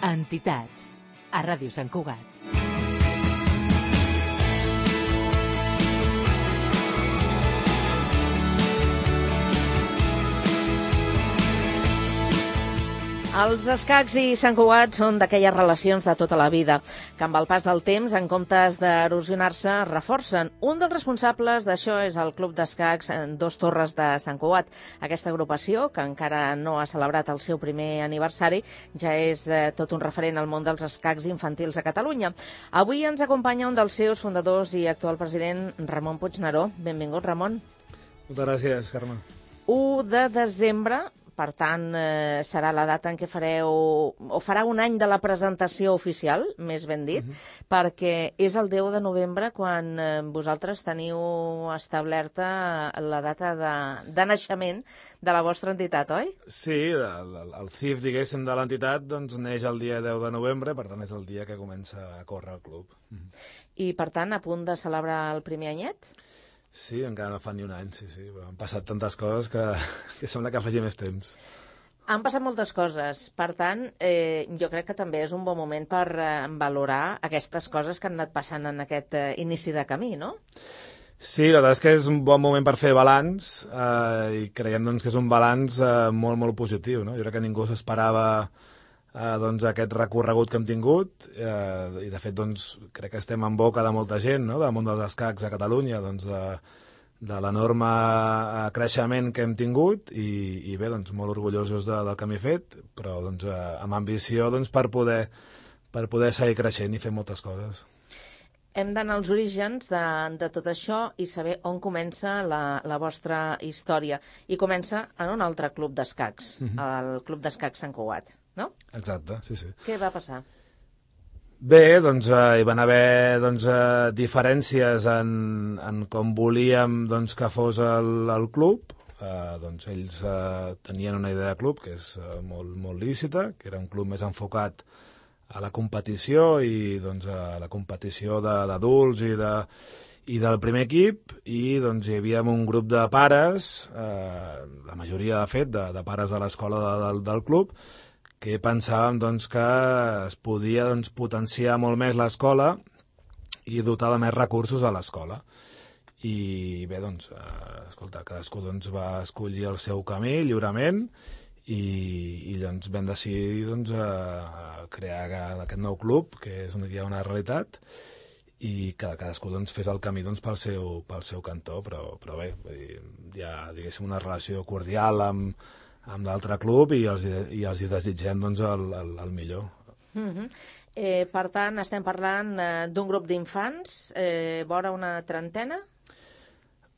Entitats, a Ràdio Sant Cugat. Els escacs i Sant Cugat són d'aquelles relacions de tota la vida, que amb el pas del temps, en comptes d'erosionar-se, reforcen. Un dels responsables d'això és el Club d'Escacs Dos Torres de Sant Cugat. Aquesta agrupació, que encara no ha celebrat el seu primer aniversari, ja és tot un referent al món dels escacs infantils a Catalunya. Avui ens acompanya un dels seus fundadors i actual president, Ramon Puigneró. Benvingut, Ramon. Moltes gràcies, Carme. 1 de desembre... Per tant, serà la data en què fareu, o farà un any de la presentació oficial, més ben dit, perquè és el 10 de novembre quan vosaltres teniu establerta la data de naixement de la vostra entitat, oi? Sí, el CIF, diguéssim, de l'entitat doncs, neix el dia 10 de novembre, per tant és el dia que comença a córrer el club. I, per tant, a punt de celebrar el primer anyet? Sí, encara no fa ni un any, sí. Han passat tantes coses que sembla que faci més temps. Han passat moltes coses. Per tant, jo crec que també és un bon moment per valorar aquestes coses que han anat passant en aquest inici de camí, no? Sí, la veritat és que és un bon moment per fer balanç i creiem doncs, que és un balanç molt, molt positiu. No? Jo crec que ningú s'esperava doncs, aquest recorregut que hem tingut i de fet doncs, crec que estem en boca de molta gent, no? Del món dels escacs a Catalunya, doncs, de l'enorme creixement que hem tingut i bé, doncs, molt orgullosos del camí fet, però doncs, amb ambició doncs, per poder seguir creixent i fer moltes coses. Hem d'anar als orígens de tot això i saber on comença la vostra història. I comença en un altre club d'escacs, el Club d'Escacs Sant Cugat, no? Exacte, sí. Què va passar? Bé, doncs hi van haver diferències en com volíem doncs, que fos el club. Doncs ells tenien una idea de club que és molt lícita, que era un club més enfocat a la competició i doncs, a la competició d'adults i del primer equip, i doncs, hi havia un grup de pares, la majoria de fet, de pares de l'escola del club, que pensàvem doncs, que es podia doncs, potenciar molt més l'escola i dotar de més recursos a l'escola. I bé, doncs, escolta, cadascú doncs, va escollir el seu camí lliurement i doncs, vam decidir doncs, crear aquest nou club, que és ja una realitat, i que cadascú doncs, fes el camí doncs, pel seu cantó, però bé, hi ha diguéssim, una relació cordial amb l'altre club i els hi desitgem doncs, el millor. Per tant, estem parlant d'un grup d'infants, vora una trentena?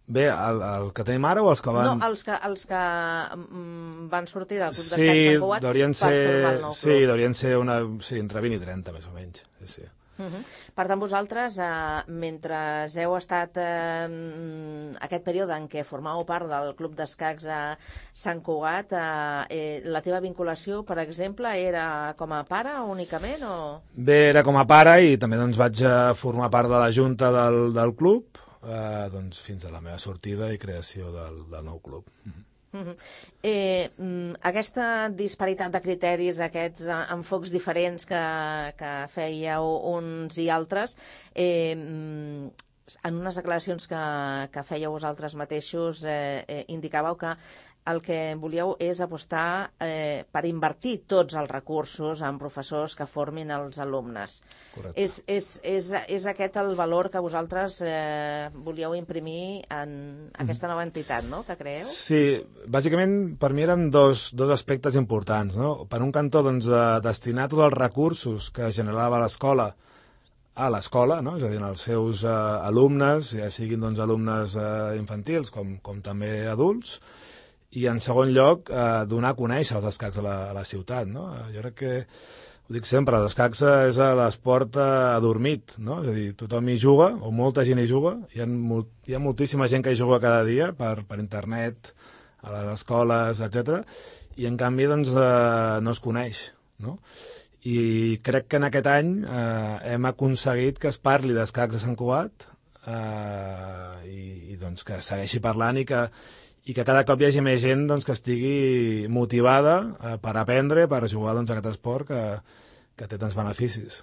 Bé, el que tenim ara o els que van... No, els que van sortir del Club d'Escacs Sant Cugat per formar el nou club. Sí, deurien ser entre 20 i 30, més o menys. Sí. Per tant, vosaltres, mentre heu estat aquest període en què formàveu part del Club d'Escacs a Sant Cugat, la teva vinculació, per exemple, era com a pare únicament? O... Bé, era com a pare i també doncs, vaig formar part de la junta del club, doncs, fins a la meva sortida i creació del nou club. Aquesta disparitat de criteris, aquests enfocs diferents que fèieu uns i altres, en unes declaracions que fèieu vosaltres mateixos indicàveu que el que volíeu és apostar per invertir tots els recursos en professors que formin els alumnes. Correcte. És aquest el valor que vosaltres volíeu imprimir en aquesta nova entitat, no?, que creeu? Sí, bàsicament per mi eren dos aspectes importants, no? Per un cantó, doncs, destinar tots els recursos que generava l'escola a l'escola, no? És a dir, als seus alumnes, ja siguin doncs, alumnes infantils com també adults, i en segon lloc donar a conèixer els escacs a la ciutat, no? Jo crec que, ho dic sempre, els escacs és l'esport adormit, no? És a dir, tothom hi juga, o molta gent hi juga, hi ha moltíssima gent que hi juga cada dia per internet, a les escoles, etc. I en canvi doncs, no es coneix, no? I crec que en aquest any hem aconseguit que es parli d'escacs a Sant Cugat i doncs que segueixi parlant i que cada cop hi hagi més gent doncs, que estigui motivada per aprendre, per jugar doncs, a aquest esport té tants beneficis.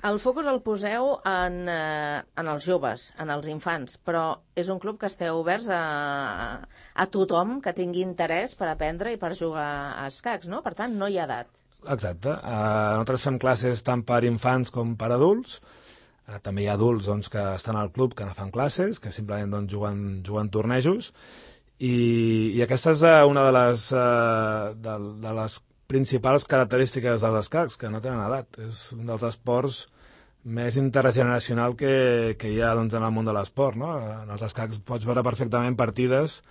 El focus el poseu en els joves, en els infants, però és un club que esteu oberts a tothom que tingui interès per aprendre i per jugar a escacs, no? Per tant, no hi ha edat. Exacte. Nosaltres fem classes tant per infants com per adults. També hi ha adults doncs, que estan al club que no fan classes, que simplement doncs, juguen tornejos. I aquesta és una de les principals característiques dels escacs, que no tenen edat. És un dels esports més intergeneracional que hi ha doncs, en el món de l'esport. No? En els escacs pots veure perfectament partides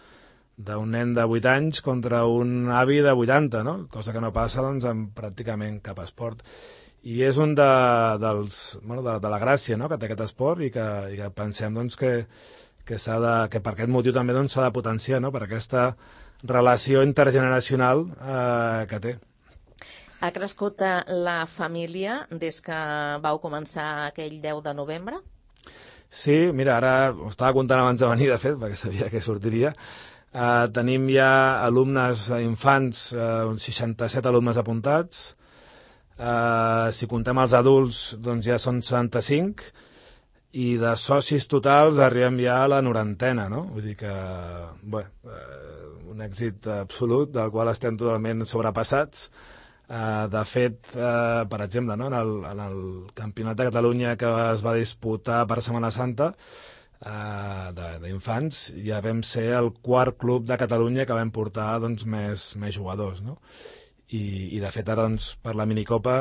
d'un nen de 8 anys contra un avi de 80, no? Cosa que no passa doncs, en pràcticament cap esport. I és un de la gràcia, no?, que té aquest esport i que pensem doncs, que per aquest motiu també doncs, s'ha de potenciar, no?, per aquesta relació intergeneracional que té. Ha crescut la família des que vau començar aquell 10 de novembre? Sí, mira, ara ho estava contant abans de venir, de fet, perquè sabia que sortiria. Tenim ja alumnes infants, uns 67 alumnes apuntats. Si contem els adults, doncs ja són 75, i de socis totals arribem ja a la 90, no? Vull dir que, bé, un èxit absolut, del qual estem totalment sobrepassats. De fet, per exemple, no? en el Campionat de Catalunya que es va disputar per Setmana Santa, d'infants, ja vam ser el quart club de Catalunya que vam portar doncs, més jugadors, no? I de fet ara doncs, per la minicopa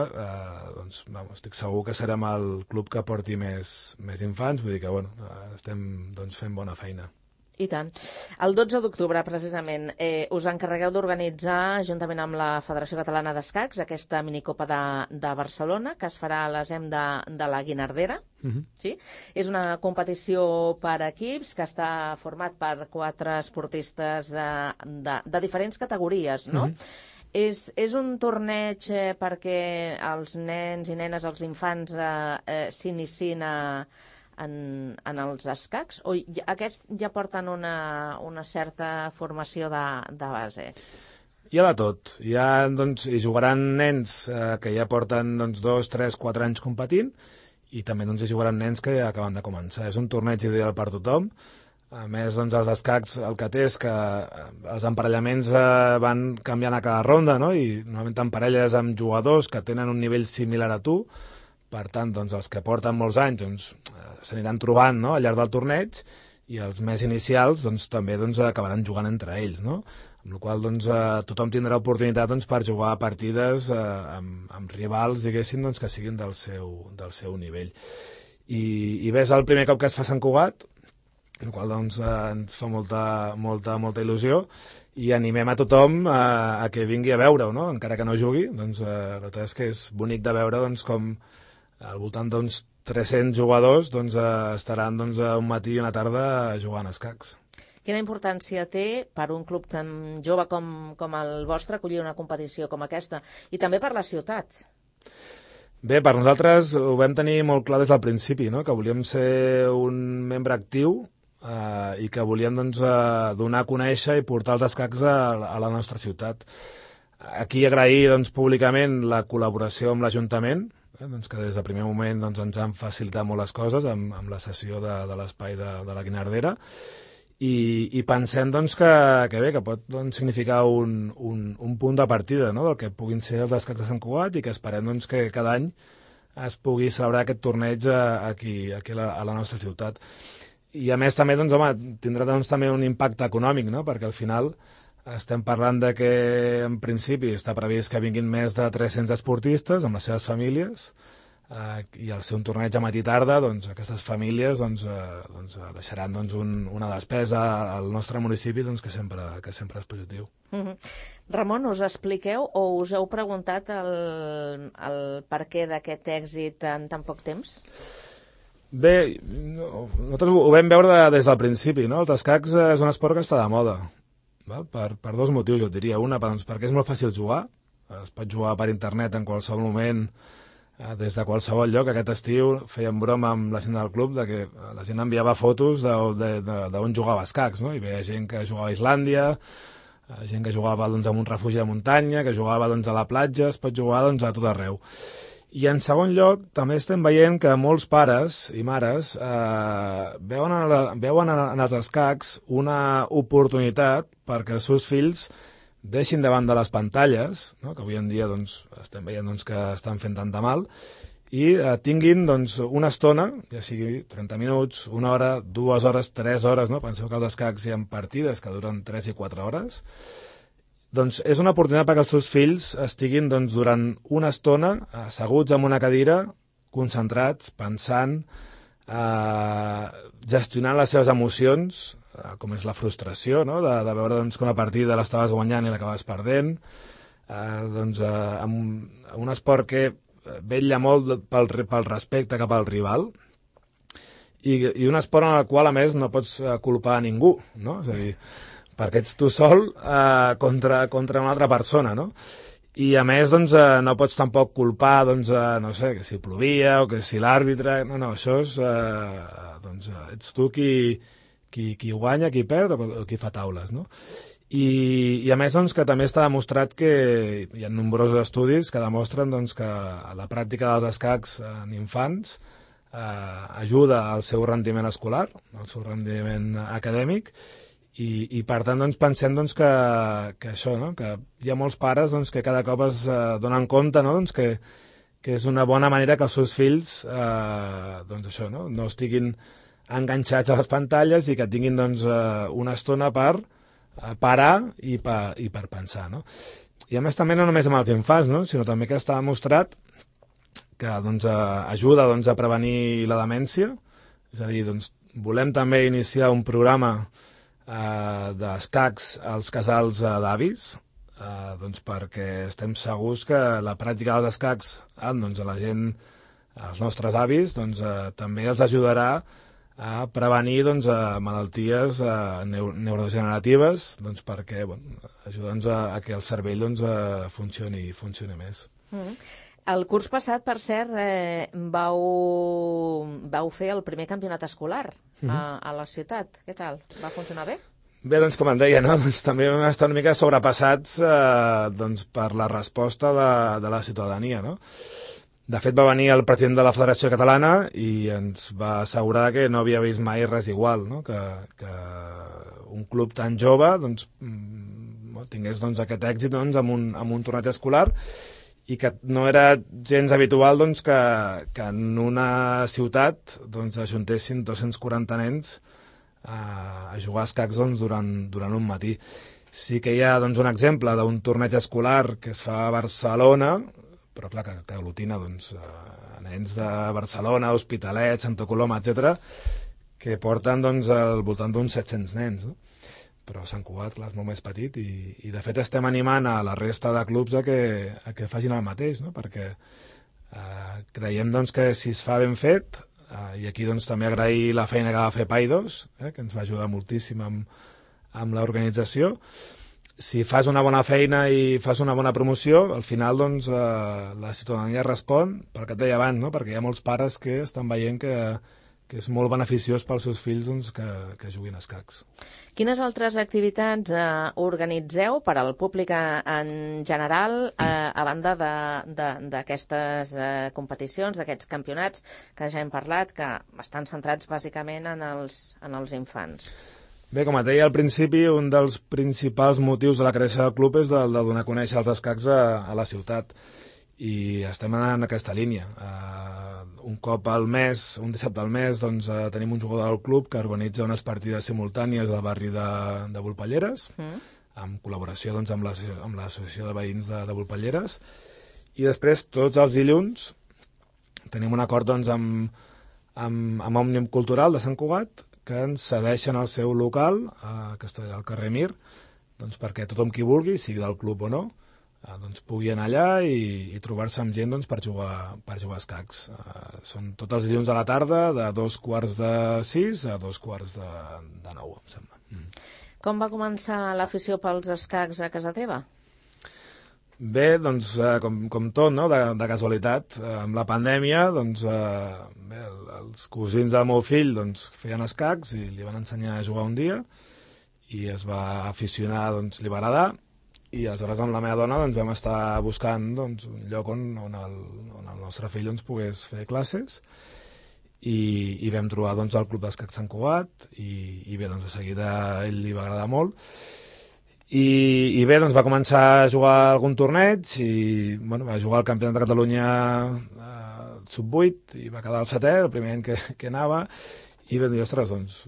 doncs, estic segur que serem el club que porti més infants, vull dir que bueno, estem doncs, fent bona feina. I tant. El 12 d'octubre, precisament, us encarregueu d'organitzar, juntament amb la Federació Catalana d'Escacs, aquesta minicopa de Barcelona, que es farà a l'ESEM de la Guinardera. Sí? És una competició per equips que està format per 4 esportistes de diferents categories, no? És un torneig perquè els nens i nenes, els infants, s'iniciïn en els escacs, o aquests ja porten una certa formació de base? Hi ha de tot. Doncs, hi jugaran nens que ja porten 2, 3, 4 anys competint, i també doncs, hi jugaran nens que ja acaben de començar. És un torneig ideal per tothom. A més, doncs, els escacs el que té és que els emparellaments van canviant a cada ronda, no? I normalment t'emparelles amb jugadors que tenen un nivell similar a tu. Per tant, doncs, els que porten molts anys doncs, s'aniran trobant, no?, al llarg del torneig, i els més inicials doncs, també doncs, acabaran jugant entre ells, no? Amb la qual cosa doncs, tothom tindrà oportunitat doncs, per jugar partides amb rivals, diguéssim, doncs, que siguin del seu nivell. I bé, és el primer cop que es fa Sant Cugat, el qual doncs, ens fa molta il·lusió, i animem a tothom a que vingui a veure-ho, no? Encara que no jugui, doncs, la veritat és que és bonic de veure doncs, com al voltant d'uns 300 jugadors doncs, estaran doncs, un matí i una tarda jugant a escacs. Quina importància té per un club tan jove com el vostre acollir una competició com aquesta, i també per la ciutat? Bé, per nosaltres ho vam tenir molt clar des del principi, no? Que volíem ser un membre actiu i que volíem doncs, donar a conèixer i portar els escacs a la nostra ciutat. Aquí agrair doncs, públicament la col·laboració amb l'Ajuntament, doncs, que des del primer moment doncs, ens han facilitat molt les coses amb la cessió de l'espai de la Guinardera, i pensem doncs, que pot doncs, significar un punt de partida, no?, del que puguin ser els escacs de Sant Cugat, i que esperem doncs, que cada any es pugui celebrar aquest torneig aquí a la nostra ciutat. I a més també doncs, home, tindrà doncs, també un impacte econòmic, no?, perquè al final estem parlant de que en principi està previst que vinguin més de 300 esportistes amb les seves famílies, i al ser un torneig a matí i tarda, doncs, aquestes famílies deixaran doncs, una despesa al nostre municipi doncs, que sempre és positiu. Ramon, us expliqueu o us heu preguntat el perquè d'aquest èxit en tan poc temps? Bé, nosaltres ho vam veure des del principi, no? Els escacs és un esport que està de moda, val? Per 2 motius, jo et diria. Una, doncs, perquè és molt fàcil jugar, es pot jugar per internet en qualsevol moment, des de qualsevol lloc. Aquest estiu fèiem broma amb la gent del club de que la gent enviava fotos d'on jugava escacs, no? Hi havia gent que jugava a Islàndia, gent que jugava doncs, en un refugi de muntanya, que jugava doncs, a la platja, es pot jugar doncs, a tot arreu. I en segon lloc, també estem veient que molts pares i mares veuen en els escacs una oportunitat perquè els seus fills deixin davant de les pantalles, no? Que avui en dia doncs, estem veient doncs, que estan fent tant de mal, i tinguin doncs, una estona, ja sigui 30 minuts, una hora, 2 hores, 3 hores, no? Penseu que als escacs hi ha partides que duren 3 i 4 hores. Doncs és una oportunitat perquè els seus fills estiguin doncs, durant una estona asseguts en una cadira, concentrats, pensant, gestionant les seves emocions, com és la frustració, no? de veure doncs, que una partida l'estaves guanyant i l'acabaves perdent, doncs, amb un esport que vetlla molt pel respecte cap al rival i un esport en el qual, a més, no pots culpar a ningú, no? És a dir, perquè ets tu sol contra una altra persona, no? I, a més, doncs, no pots tampoc culpar, doncs, no sé, que si plovia o que si l'àrbitre... No, això és... doncs, ets tu qui guanya, qui perd o qui fa taules, no? I a més, doncs, que també està demostrat que hi ha nombrosos estudis que demostren doncs, que la pràctica dels escacs en infants ajuda al seu rendiment escolar, al seu rendiment acadèmic, i per tant doncs, pensem doncs, que això, no? Que hi ha molts pares doncs, que cada cop es donen compte, no? Doncs, que és una bona manera que els seus fills doncs, això, no? No estiguin enganxats a les pantalles i que tinguin doncs, una estona per parar i per pensar, no? I a més també no només amb els infants, no? Sinó també que està demostrat que doncs, ajuda doncs, a prevenir la demència, és a dir, doncs, volem també iniciar un programa d'escacs als casals d'avis, doncs, perquè estem segurs que la pràctica dels escacs doncs, a la gent, als nostres avis, doncs, també els ajudarà a prevenir doncs, malalties neurodegeneratives, doncs, perquè ajuda a que el cervell doncs, funcioni més. El curs passat, per cert, vau fer el primer campionat escolar a la ciutat. Què tal? Va funcionar bé? Bé, doncs, com em deia, no? Doncs, també vam estar una mica sobrepassats doncs, per la resposta de la ciutadania, no? De fet, va venir el president de la Federació Catalana i ens va assegurar que no havia vist mai res igual, no? Que un club tan jove doncs, tingués doncs, aquest èxit doncs, amb un torneig escolar i que no era gens habitual doncs, que en una ciutat doncs, ajuntessin 240 nens a jugar a escacs doncs, durant un matí. Sí que hi ha doncs, un exemple d'un torneig escolar que es fa a Barcelona, però clar, que aglutina doncs, nens de Barcelona, Hospitalet, Santa Coloma, etc, que porten doncs, al voltant d'uns 700 nens, no? Però Sant Cugat, clar, és molt més petit i de fet estem animant a la resta de clubs a que facin el mateix, no? Perquè creiem doncs, que si es fa ben fet, i aquí doncs, també agrair la feina que va fer Paidos, que ens va ajudar moltíssim amb l'organització. Si fas una bona feina i fas una bona promoció, al final doncs, la ciutadania respon, pel que et deia abans, no? Perquè hi ha molts pares que estan veient que és molt beneficiós pels seus fills doncs, que juguin a escacs. Quines altres activitats organitzeu per al públic en general, a banda d'aquestes competicions, d'aquests campionats que ja hem parlat, que estan centrats bàsicament en els infants? Bé, com et deia al principi, un dels principals motius de la creació del club és de donar a conèixer els escacs a la ciutat. I estem en aquesta línia. Un cop al mes, un dissabte al mes, doncs, tenim un jugador del club que organitza unes partides simultànies al barri de Volpelleres, en col·laboració doncs, amb l'associació de veïns de Volpelleres. I després, tots els dilluns, tenim un acord doncs, amb Òmnium Cultural de Sant Cugat, que ens cedeixen el seu local, que està al carrer Mir, doncs perquè tothom qui vulgui, sigui del club o no, doncs pugui anar allà i trobar-se amb gent doncs, per jugar a escacs. Són tots els dilluns a la tarda, de 2:45 a 8:45, em sembla. Com va començar l'afició pels escacs a casa teva? Bé, doncs, com tot, no? de casualitat. Amb la pandèmia, doncs, bé, els cosins del meu fill doncs, feien escacs i li van ensenyar a jugar un dia i es va aficionar, doncs li va agradar, i aleshores amb la meva dona doncs, vam estar buscant doncs, un lloc on el nostre fill doncs, pogués fer classes, i vam trobar doncs, el Club d'Escacs Sant Cugat, i bé, doncs, de seguida a ell li va agradar molt, i bé, doncs va començar a jugar algun torneig, i bueno, va jugar al Campionat de Catalunya sub-8, i va quedar el 7è, el primer any que anava, i vam dir, ostres, doncs,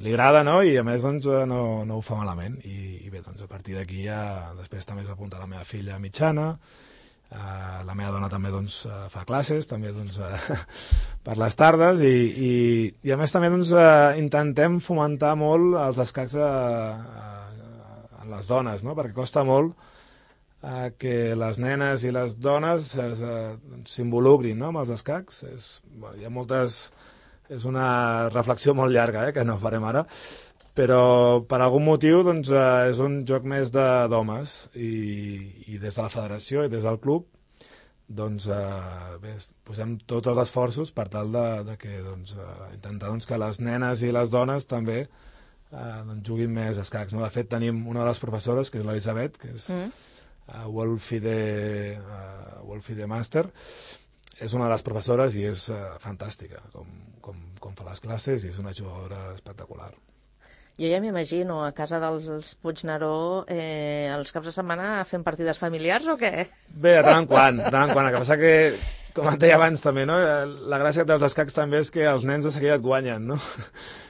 li agrada, no? I a més doncs, no ho fa malament, i bé, doncs, a partir d'aquí ja després també s'ha apuntat la meva filla mitjana, la meva dona també doncs, fa classes també doncs, per les tardes, i a més també doncs, intentem fomentar molt els escacs a les dones, no? Perquè costa molt que les nenes i les dones s'involucrin, no? Amb els escacs. Hi ha moltes... És una reflexió molt llarga, que no farem ara, però per algun motiu doncs, és un joc més d'homes, i des de la federació i des del club doncs, bé, posem tots els esforços per tal de que, doncs, intentar doncs, que les nenes i les dones també doncs, juguin més escacs. No? De fet, tenim una de les professores, que és l'Elisabet, que és World FIDE Master. És una de les professores i és fantàstica com fa les classes, i és una jugadora espectacular. Jo ja m'imagino a casa dels Puigneró els caps de setmana fent partides familiars o què? Bé, de tant en quant. El que passa que, com et deia abans també, no? La gràcia dels escacs també és que els nens de seguida et guanyen, no?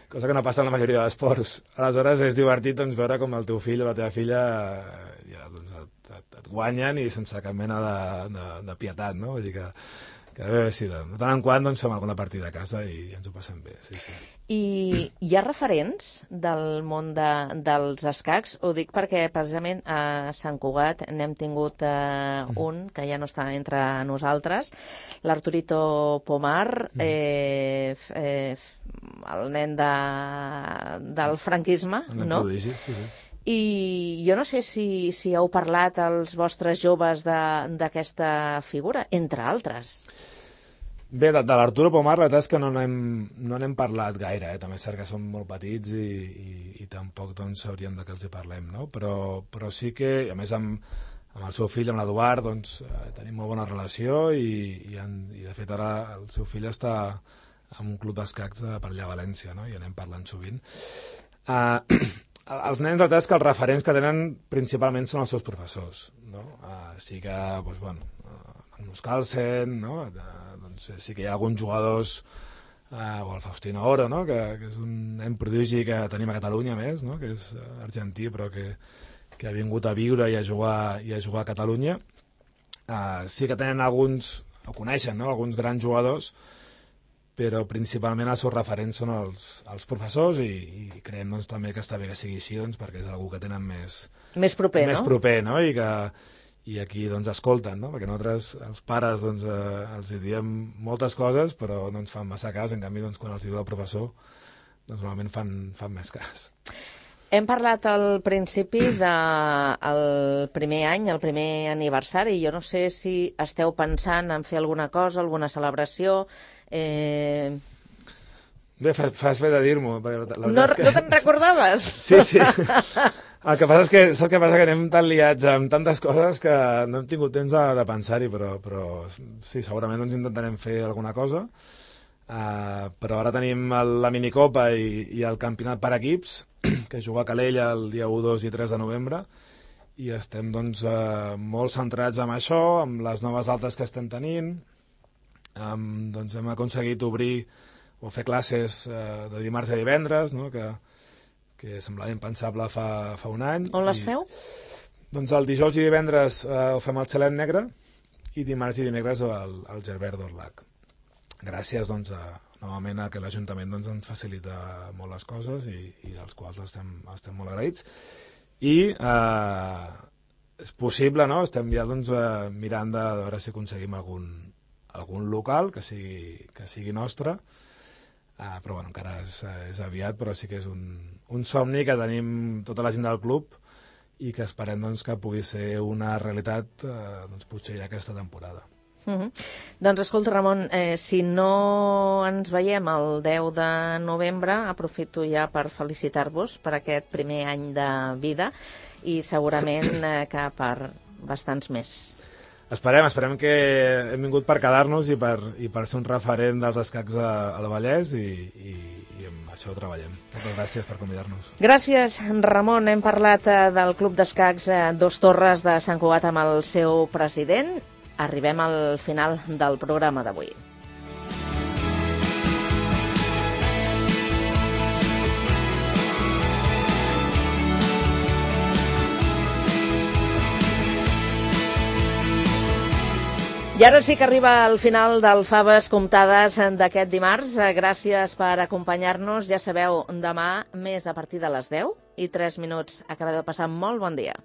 Cosa que no passa en la majoria d'esports. Aleshores és divertit doncs, veure com el teu fill o la teva filla doncs, et guanyen i sense cap mena de pietat, no? Vull dir que bé, sí, de tant en quant doncs, fem alguna partida a casa i ens ho passem bé. Sí, sí. I hi ha referents del món dels escacs? Ho dic perquè precisament a Sant Cugat n'hem tingut un que ja no està entre nosaltres, l'Arturito Pomar, el nen del franquisme, no? Prodigi, sí. I jo no sé si heu parlat als vostres joves d'aquesta figura, entre altres. Bé, de l'Arturo Pomar la veritat és que no n'hem parlat gaire, també és cert que són molt petits i tampoc doncs, hauríem de que els hi parlem, no? Però sí que, a més amb el seu fill, amb l'Eduard, doncs, tenim molt bona relació i de fet ara el seu fill està en un club d'escacs per allà a València, no? I anem parlant sovint. Els nens, la veritat és que els referents que tenen principalment són els seus professors, no? Sí que, doncs, bueno, Magnus Carlsen, no? Doncs sí que hi ha alguns jugadors, o el Faustino Oro, no? Que és un nen prodigi que tenim a Catalunya, més, no? Que és argentí, però que ha vingut a viure i a jugar a Catalunya. Sí que tenen alguns, o coneixen, no? Alguns grans jugadors, però principalment els seus referents són els professors, i creiem doncs, també que està bé que sigui així, doncs, perquè és algú que tenen més proper, no? I aquí doncs, escolten, no? Perquè nosaltres, els pares, doncs, els diem moltes coses, però no ens fan massa cas. En canvi, doncs, quan els diu el professor, doncs, normalment fan més cas. Hem parlat al principi del primer any, el primer aniversari. Jo no sé si esteu pensant en fer alguna cosa, alguna celebració. Bé, fas bé de dir-m'ho. No te'n recordaves? Sí. El que passa és que, saps què passa? Que anem tan liats amb tantes coses que no hem tingut temps de pensar-hi, però sí, segurament doncs intentarem fer alguna cosa. Però ara tenim la minicopa i el campionat per equips, que juga a Calella el dia 1, 2 i 3 de novembre, i estem doncs, molt centrats en això, amb les noves altes que estem tenint. Doncs hem aconseguit obrir o fer classes de dimarts a divendres, no? que semblava impensable fa un any. On les feu? Doncs el dijous i divendres ho fem al Xalet Negre, i dimarts i dimecres al Gerbert d'Orlac. Gràcies doncs, novament a que l'Ajuntament doncs, ens facilita molt les coses i dels quals estem molt agraïts. I és possible, no? Estem ja doncs, mirant de veure si aconseguim algun local que sigui nostre, però bueno, encara és aviat, però sí que és un somni que tenim tota la gent del club i que esperem doncs, que pugui ser una realitat doncs, potser ja aquesta temporada. Doncs escolta, Ramon, si no ens veiem el 10 de novembre, aprofito ja per felicitar-vos per aquest primer any de vida i segurament que per bastants més. Esperem que hem vingut per quedar-nos i per ser un referent dels escacs al Vallès i amb això treballem. Moltes gràcies per convidar-nos. Gràcies, Ramon. Hem parlat del Club d'Escacs Dos Torres de Sant Cugat amb el seu president. Arribem al final del programa d'avui. I ara sí que arriba el final del Faves Comptades d'aquest dimarts. Gràcies per acompanyar-nos. Ja sabeu, demà més a partir de les 10 i 3 minuts. Acabeu de passar molt bon dia.